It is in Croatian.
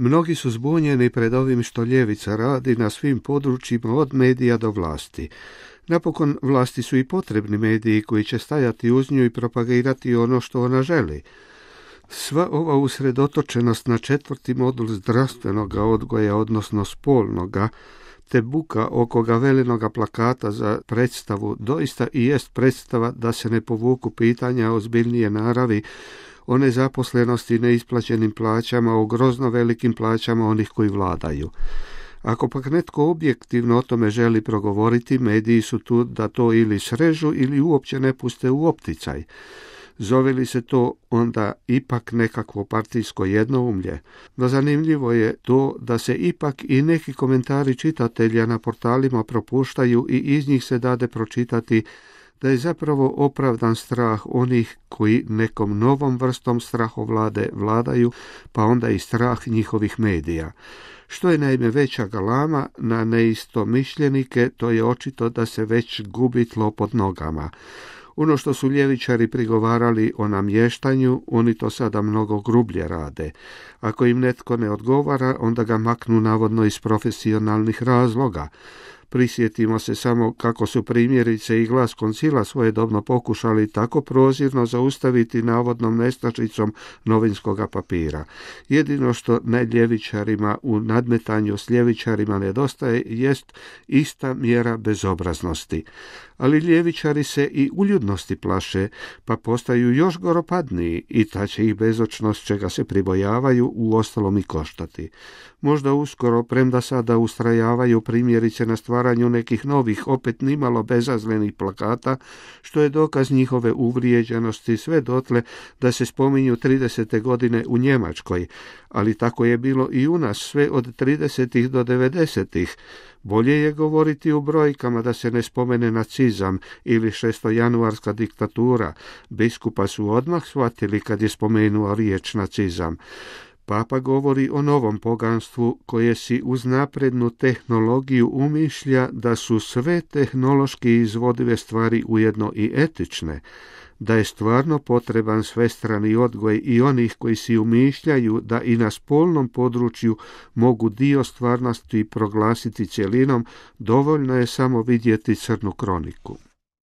Mnogi su zbunjeni pred ovim što ljevica radi na svim područjima od medija do vlasti. Napokon, vlasti su i potrebni mediji koji će stajati uz nju i propagirati ono što ona želi. Sva ova usredotočenost na 4. modul zdravstvenog odgoja, odnosno spolnoga, te buka oko gavelinoga plakata za predstavu doista i jest predstava da se ne povuku pitanja ozbiljnije naravi o nezaposlenosti i neisplaćenim plaćama, o grozno velikim plaćama onih koji vladaju. Ako pak netko objektivno o tome želi progovoriti, mediji su tu da to ili srežu ili uopće ne puste u opticaj. Zove li se to onda ipak nekakvo partijsko jednoumlje? No zanimljivo je to da se ipak i neki komentari čitatelja na portalima propuštaju i iz njih se dade pročitati da je zapravo opravdan strah onih koji nekom novom vrstom strahovlade vladaju, pa onda i strah njihovih medija. Što je naime veća galama na neistomišljenike, to je očito da se već gubi tlo pod nogama. Ono što su ljevičari prigovarali o namještanju, oni to sada mnogo grublje rade. Ako im netko ne odgovara, onda ga maknu navodno iz profesionalnih razloga. Prisjetimo se samo kako su primjerice i Glas koncila svojedobno pokušali tako prozirno zaustaviti navodnom nestašicom novinskoga papira. Jedino što ljevičarima u nadmetanju s ljevičarima nedostaje jest ista mjera bezobraznosti. Ali ljevičari se i uljudnosti plaše, pa postaju još goropadniji i ta će ih bezočnost čega se pribojavaju uostalom i koštati. Možda uskoro, premda sada ustrajavaju primjerice na stvaranju nekih novih, opet nimalo bezazlenih plakata, što je dokaz njihove uvrijeđenosti sve dotle da se spominju 30. godine u Njemačkoj, ali tako je bilo i u nas sve od 30. do 90. Bolje je govoriti u brojkama da se ne spomene nacizam ili šestojanuarska diktatura. Biskupa su odmah shvatili kad je spomenuo riječ nacizam. Papa govori o novom poganstvu koje si uz naprednu tehnologiju umišlja da su sve tehnološki izvodive stvari ujedno i etične, da je stvarno potreban svestrani odgoj i onih koji si umišljaju da i na spolnom području mogu dio stvarnosti proglasiti cjelinom, dovoljno je samo vidjeti Crnu kroniku.